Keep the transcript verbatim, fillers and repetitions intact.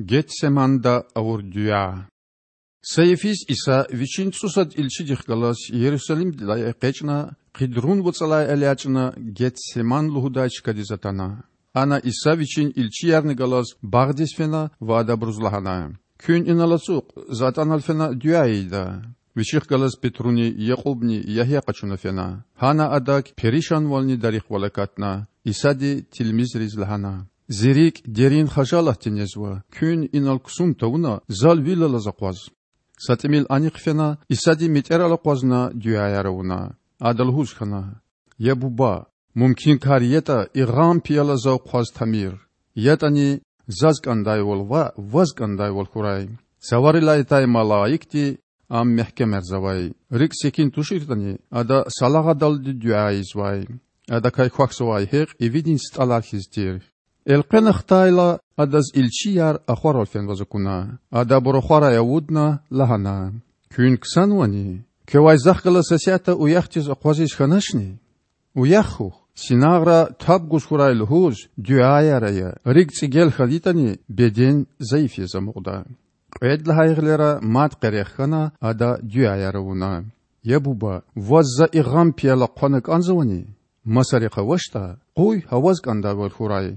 Гетсеманда авур дуьа. Са йифиз Иса Вичин цІусад илчидихъ галаз Ярусалимдилай экъечІна, Къидрун вацІалай элячІна Гетсеман лугьудай чкадиз атана. Ана Иса Вичин илчиярни галаз багъдиз фена ва адабуруз лагьана: Куьн инал ацукь, За атІанал фена дуьа ийида. Вичихъ галаз Петруни, Якьубни, Ягья къачуна фена. Гьана Адак перишанвални дарихвал акатна. Исади тилмизриз лагьана: Зи рикІ дерин хажалатди незва. Куьн инал ксун тавуна Зал вил алаз акъваз. Са тІимил анихъ фена, Исади метІерал акъвазна дуьаяр авуна. Ада лугьуз хьана: Я Буба, мумкинкар ятІа, и гъам пияла Зав хъваз тамир. ЯтІани, Заз кІандайвал ваъ, Ваз кІандайвал хьурай. Цаварилай атай малаикди Ам мягькемарзавай. РикІ секин туширтІани, Ада салагъадалди дуьа ийизвай. Адакай квахьзавай гьекь ивидин стІалар хьиз тир. Элкъвена хтайла, Адаз илчияр ахварал фенваз акуна. Ада абур ахварай авудна, лагьана: Куьн ксанвани? Квевай Захъ галаз сесятда уяхдиз акъвазиз хьаначни? Уях хьухь, синагъра таб гуз хьурай лугьуз дуьаяр ая. РикІ цІигел хьайитІани, беден зайиф яз амукьда. Кьвед лагьай гъилера мад къерех хьана, Ада дуьаяр авуна: Я Буба, Ваз За и гъам пияла хъвана кІанзавани? Масарихъ авачтІа, къуй гьа Ваз кІандайвал хьурай.